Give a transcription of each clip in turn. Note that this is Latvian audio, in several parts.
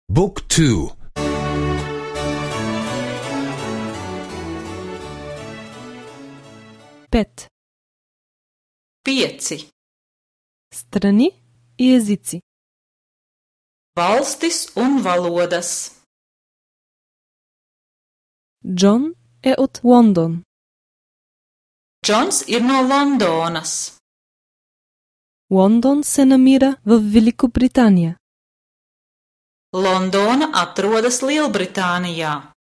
Book 2. Pet. 5. Strani i jezici. Valstis un valodas. John je od London. Džons ir no Londonas. London se namira v Velikobritanija. Londona atrodas Lielbritānijā.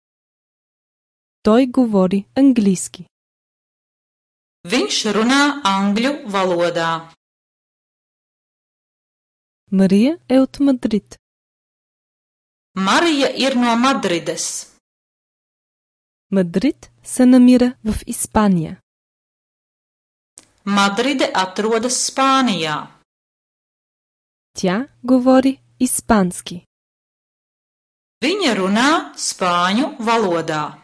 Той говори английски. Viņš runā angļu valodā. Мария е от Мадрид. Marija ir no Madrides. Мадрид се намира в Испания. Madride atrodas Spānijā. Тя говори испански. Viņa runā spāņu valodā.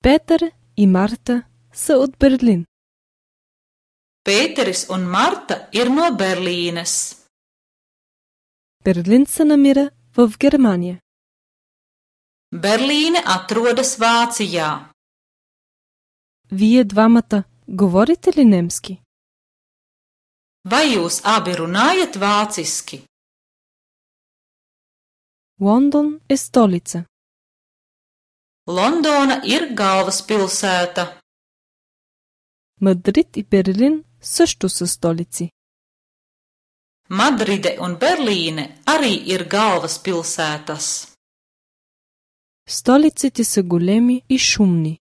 Петър и Марта са от Берлин. Pēteris un Marta ir no Berlīnes. Берлин се намира в Германия. Berlīne atrodas Vācijā. Вие двамата говорите ли немски? Vai jūs abi runājat vāciski? Лондон е столица. Londona ir galvaspilsēta. Мадрид и Берлин също са столици. Madride un Berlīne arī ir galvaspilsētas. Столиците са големи и шумни.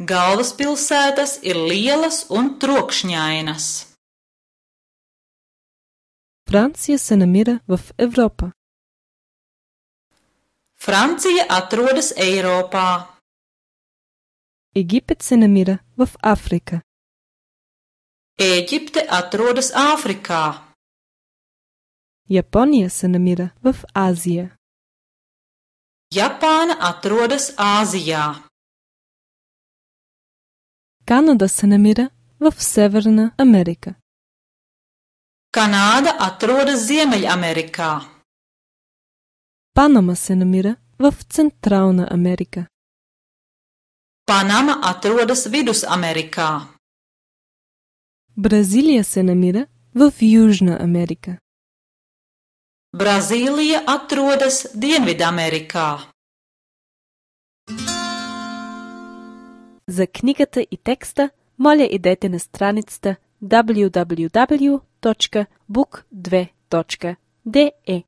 Galvaspilsētas ir lielas un trokšņainas. Франция се намира в Европа. Francija atrodas Eiropā. Египет се намира в Африка. Ēģipte atrodas Āfrikā. Япония се намира в Азия. Japāna atrodas Āzijā. Канада се намира в Северна Америка. Kanāda atrodas Ziemeļamerikā. Панама се намира в Централна Америка. Panama atrodas Vidusamerikā. Бразилия се намира в Южна Америка. Brazīlija atrodas Dienvidamerikā. За книгата и текста, моля идете на страницата www.book2.de.